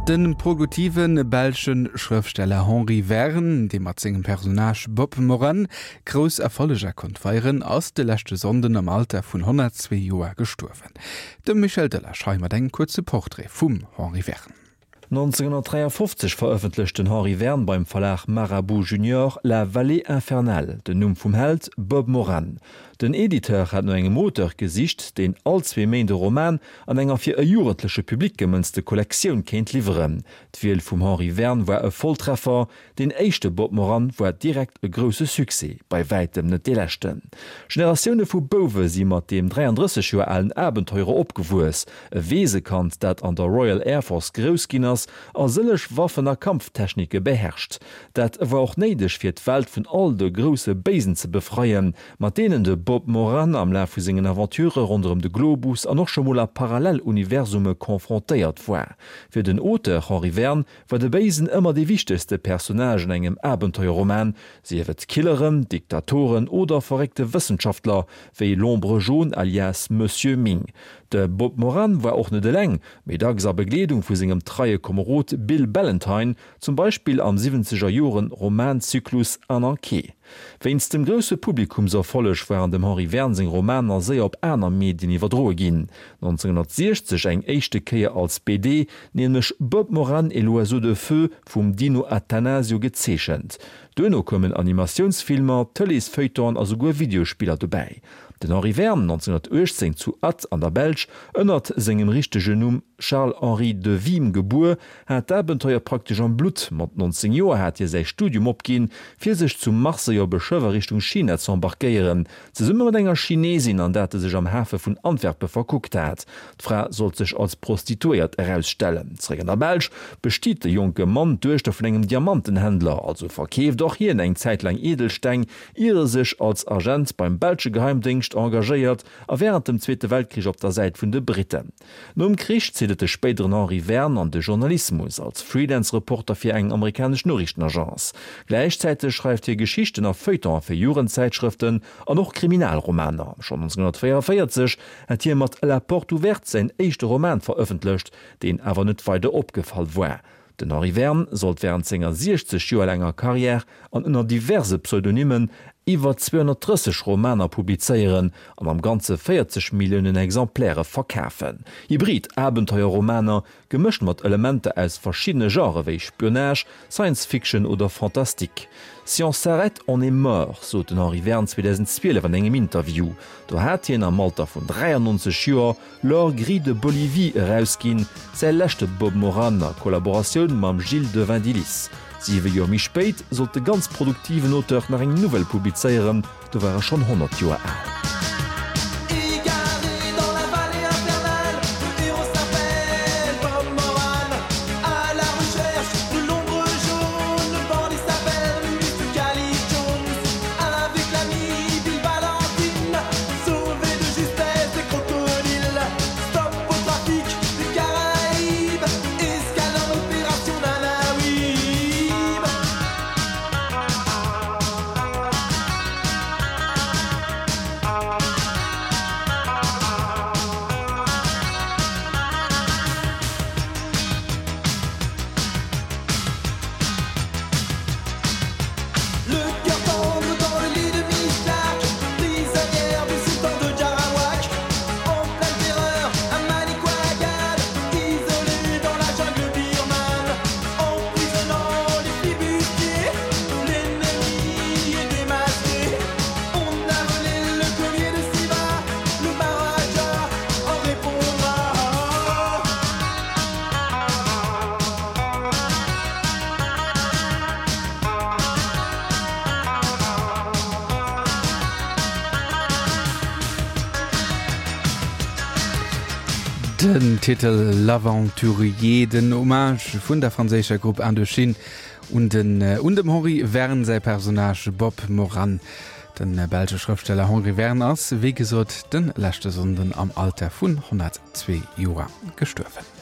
De produktive belsche Schrëftsteller Henri Verne, dee mat sengem Personnage Bob Morane grouss Erfolleger konnt feieren, ass de leschte Sonnden am Alter vun 102 Joer gestuerwen. De Michel Delage hei mat engem kuerze Portrait vum Henri Verne. 1953 verëffentlecht den Henri Verne beim Verlag Marabout Junior La Vallée infernale, den Numm vum Held, Bob Morane. Den Editeur hat no engem Auteur gesicht, deen all zwee Méint e Roman an enger fir e jugendleche Public gemënzte Kollektioun kéint liwweren. D'Wiel vum Henri Verne war e Volltreffer, Deen éischte Bob Morane war direkt e grousse Succès, bei wäitem net dee leschten. Generatioune vu Bouwe si mat deem 33 Joer alen Abenteurer opgewuess, e Weesekand, dat an der Royal Air Force grouss ginn ass a sëlleg Waffen a Kampftechnike beherrscht. Dat war och néideg, fir d'Welt vun all de grousse Béisen ze befreien, mat deenen de Bob Morane am Laf vu sengen Aventurë ronderëm de Globus an och scho mol a Paralleluniversume confrontéiert war. Fir den Auteur Henri Verne War de Béisen ëmmer dee wichtegste Personnage an engem Abenteuerroman, sief et Killeren, Diktatoren oder verréckte Wëssenschaftler wéi L'Ombre Jaune alias Monsieur Ming. De Bob Morane war och net eleng, mee dacks a Begleedung vu sengem treie Komerod Bill Ballantine, zum Beispill am siwwenzeger Joren Romanzyklus Ananké. Wéinst dem grousse Publikumserfolleg waren dem Henri Verne seng Romaner séier op aner Medien iwwerdroe ginn, 1960 eng éischte Kéier als BD, nämlech Bob Morane et l'oiseau de feu vum Dino Attanasio gezeechent. Duerno koumen Animatiounsfilmer, Tëleesfeuilletonen a souguer Videospiller dobäi. Den Henri Verne, 1918 zu Ath an der Belsch ënnert sengem richtegen Numm Charles-Henri de Wismes gebuer, hat d'Abenteuer praktesch am Blutt. Mat 19 Joer hat hie säi Studium opginn, fir sech zu Marseille op e Schëff a Richtung China ze embarquéieren. Zesumme mat enger Chinesin, an dat e sech am Hafe vun Antwerpe verkuckt hat. D'Fra sollt sech als Prostituéiert erausstellen. Zeréck an der Belsch bestiet de jonke Mann d'Duechter vun engem Diamantenhändler, also verkeeft och hien eng Zäit laang Edelsteng, ier e sech als Agent beim belsche Geheimdéngscht engagéiert a wärend dem Zweete Weltkrich op der Säit vun de Britten. Nom Krich zitt et de spéideren Henri Verne an de Journalismus, als Freelance-Reporter fir eng amerikanesch Noriichtenagence. Gläichzäiteg schreift hie Geschichten a Feuilletonen fir Jugendzäitschrëften an och Kriminalromaner. Schonn 1944 hat hie mat La porte ouverte säin éischte Roman verëffentlecht, deen awer net weider opgefall war. Den Henri Verne sollt wärend senger 60 Joer laanger Karriär an ënner diverse Pseudonymmen iwwer 230 Romaner publizéieren an am Ganze 40 Milliounen Exemplaire verkafen. Hybrid Abenteuerromaner, gemëscht mat Elementer aus verschiddene Genrë wéi Spionage, Science Fiction oder Fantastique. Si on s'arrête, on est mort, sot den Henri Verne 2012 an engem Interview. Do hat hien am Alter vun 93 Joer L'or gris de Bolivie erausginn, säi leschte Bob Morane a Kollaboratioun mam Gilles de Vindilis. Siwe Joer méi spéit sollt de ganz produktiven Auteur nach eng Novell publizéieren, do war e schonn 100 Joer al. Den Titel L'Aventurier, den Hommage vun der franséischer Grupp Indochine un den un dem Henri Verne säi Personnage Bob Morane. De belsche Schrëftsteller Henri Verne ass, wéi gesot, de leschte Sonnden am Alter vun 102 Joer gestuerwen.